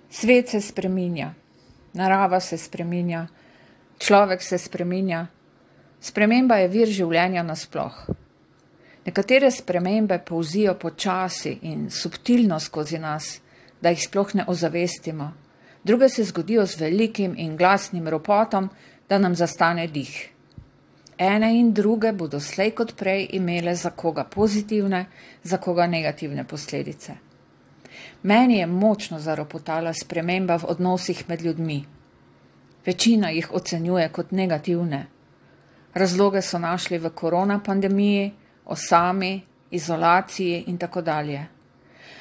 Svet se spreminja, narava se spreminja, človek se spreminja. Sprememba je vir življenja nasploh. Nekatere spremembe polzijo počasi in subtilno skozi nas, da jih sploh ne ozavestimo. Druge se zgodijo z velikim in glasnim ropotom, da nam zastane dih. Ene in druge bodo slej kot prej imele za koga pozitivne, za koga negativne posledice. Meni je močno zaropotala sprememba v odnosih med ljudmi. Večina jih ocenjuje kot negativne. Razloge so našli v korona pandemiji, osami, izolaciji in tako dalje.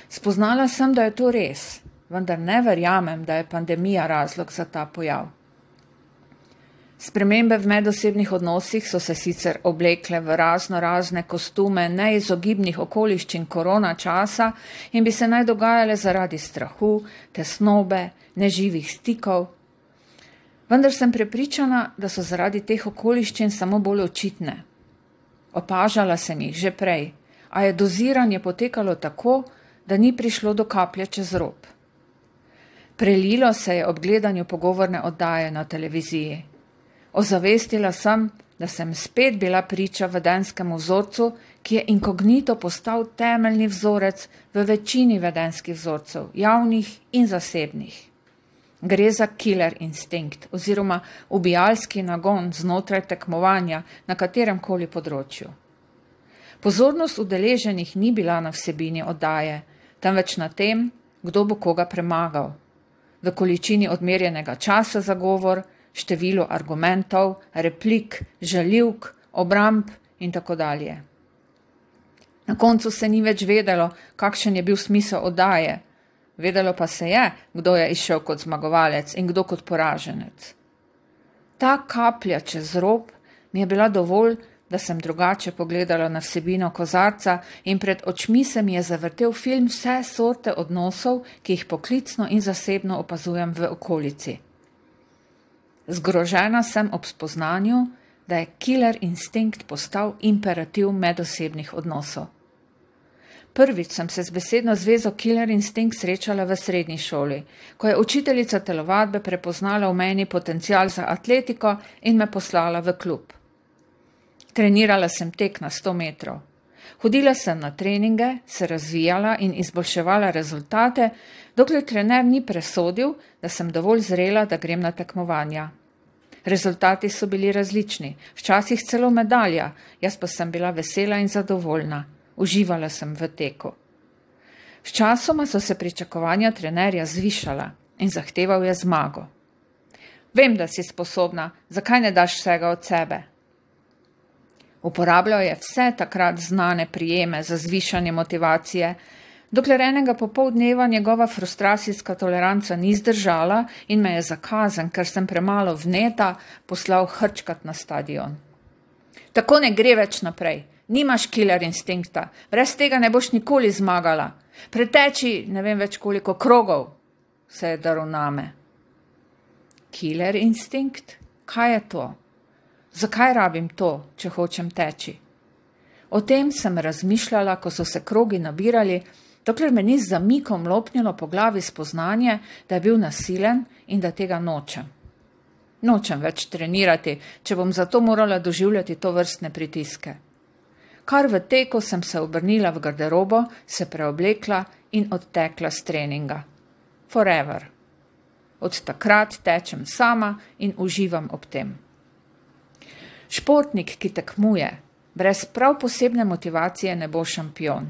Spoznala sem, da je to res, vendar ne verjamem, da je pandemija razlog za ta pojav. Spremembe v medosebnih odnosih so se sicer oblekle v razne kostume neizogibnih okoliščin korona časa in bi se naj dogajale zaradi strahu, tesnobe, neživih stikov. Vendar sem prepričana, da so zaradi teh okoliščin samo bolj očitne. Opažala sem jih že prej, a je doziranje potekalo tako, da ni prišlo do kaplje čez rob. Prelilo se je ob gledanju pogovorne oddaje na televiziji. Ozavestila sem, da sem spet bila priča vedenskemu vzorcu, ki je inkognito postal temeljni vzorec v večini vedenskih vzorcev, javnih in zasebnih. Gre za killer instinkt oziroma ubijalski nagon znotraj tekmovanja na kateremkoli področju. Pozornost udeleženih ni bila na vsebini oddaje, temveč na tem, kdo bo koga premagal. V količini odmerjenega časa za govor, številu argumentov, replik, žaljivk, obramb in tako dalje. Na koncu se ni več vedelo, kakšen je bil smisel oddaje. Vedelo pa se je, kdo je izšel kot zmagovalec in kdo kot poraženec. Ta kaplja čez rob mi je bila dovolj, da sem drugače pogledala na vsebino kozarca in pred očmi se mi je zavrtel film vse sorte odnosov, ki jih poklicno in zasebno opazujem v okolici. Zgrožena sem ob spoznanju, da je killer instinkt postal imperativ medosebnih odnosov. Prvič sem se z besedno zvezo killer instinkt srečala v srednji šoli, ko je učiteljica telovadbe prepoznala v meni potencial za atletiko in me poslala v klub. Trenirala sem tek na 100 metrov. Hodila sem na treninge, se razvijala in izboljševala rezultate, dokler trener ni presodil, da sem dovolj zrela, da grem na tekmovanja. Rezultati so bili različni, včasih celo medalja, jaz pa sem bila vesela in zadovoljna. Uživala sem v teku. Sčasoma so se pričakovanja trenerja zvišala in zahteval je zmago. Vem, da si sposobna, zakaj ne daš vsega od sebe? Uporabljal je vse takrat znane prijeme za zvišanje motivacije, dokler enega popoldneva njegova frustracijska toleranca ni zdržala in me je za kazen, ker sem premalo vneta, poslal hrčkat na stadion. Tako ne gre več naprej. Nimaš killer instinkta, brez tega ne boš nikoli zmagala. Preteči ne vem več koliko krogov, se je daril name. Killer instinkt? Kaj je to? Zakaj rabim to, če hočem teči? O tem sem razmišljala, ko so se krogi nabirali, dokler me ni z zamikom lopnilo po glavi spoznanje, da je bil nasilen in da tega nočem. Nočem več trenirati, če bom zato morala doživljati to vrstne pritiske. Kar v teku sem se obrnila v garderobo, se preoblekla in odtekla s treninga. Forever. Od takrat tečem sama in uživam ob tem. Športnik, ki tekmuje, brez prav posebne motivacije ne bo šampion.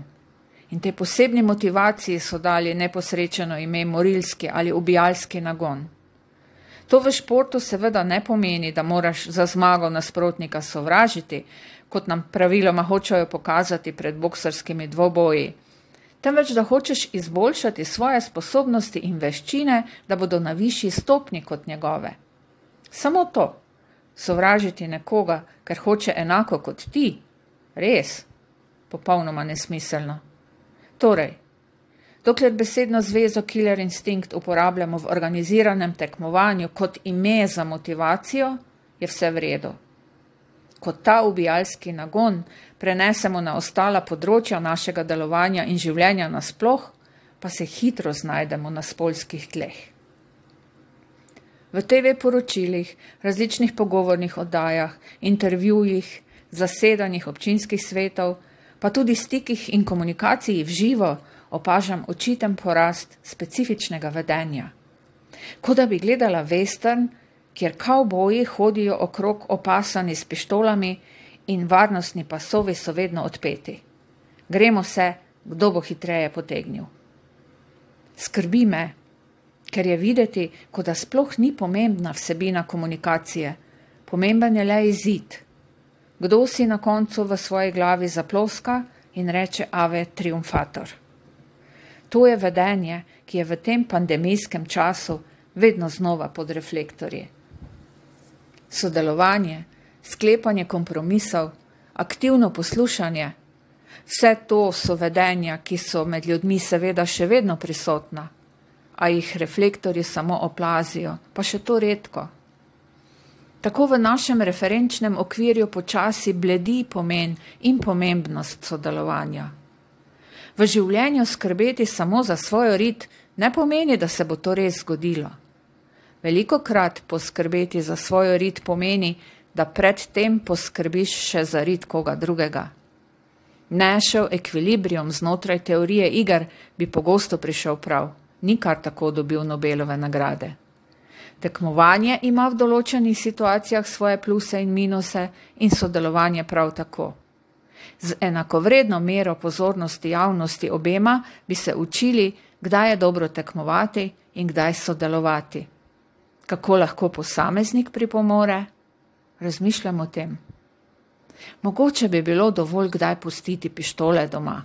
In tej posebni motivaciji so dali neposrečeno ime morilski ali ubijalski nagon. To v športu seveda ne pomeni, da moraš za zmago nasprotnika sovražiti, kot nam praviloma hočejo pokazati pred boksarskimi dvoboji, temveč da hočeš izboljšati svoje sposobnosti in veščine, da bodo na višji stopnji kot njegove. Samo to. Sovražiti nekoga, ker hoče enako kot ti, res, popolnoma nesmiselno. Torej, dokler besedno zvezo killer instinkt uporabljamo v organiziranem tekmovanju kot ime za motivacijo, je vse v redu. Ko ta ubijalski nagon prenesemo na ostala področja našega delovanja in življenja nasploh, pa pa se hitro znajdemo na spolskih tleh. V TV poročilih, različnih pogovornih oddajah, intervjujih, zasedanjih občinskih svetov, pa tudi stikih in komunikaciji v živo opažam očiten porast specifičnega vedenja. Kot da bi gledala western, kjer kavboji hodijo okrog opasani s pištolami in varnostni pasovi so vedno odpeti. Gremo se, kdo bo hitreje potegnil. Skrbi me, ker je videti, kot da sploh ni pomembna vsebina komunikacije, pomemben je le izid. Kdo si na koncu v svoji glavi zaploska in reče ave triumfator. To je vedenje, ki je v tem pandemijskem času vedno znova pod reflektorji. Sodelovanje, sklepanje kompromisov, aktivno poslušanje, vse to so vedenja, ki so med ljudmi seveda še vedno prisotna, a jih reflektorji samo oplazijo, pa še to redko. Tako v našem referenčnem okvirju počasi bledi pomen in pomembnost sodelovanja. V življenju skrbeti samo za svojo rit ne pomeni, da se bo to res zgodilo. Velikokrat poskrbeti za svojo rit pomeni, da predtem poskrbiš še za rit koga drugega. Nešel ekvilibrium znotraj teorije iger bi pogosto prišel prav, ni kar tako dobil Nobelove nagrade. Tekmovanje ima v določenih situacijah svoje pluse in minuse in sodelovanje prav tako. Z enakovredno mero pozornosti javnosti obema bi se učili, kdaj je dobro tekmovati in kdaj sodelovati. Kako lahko posameznik pripomore? Razmišljam o tem. Mogoče bi bilo dovolj kdaj pustiti pištole doma.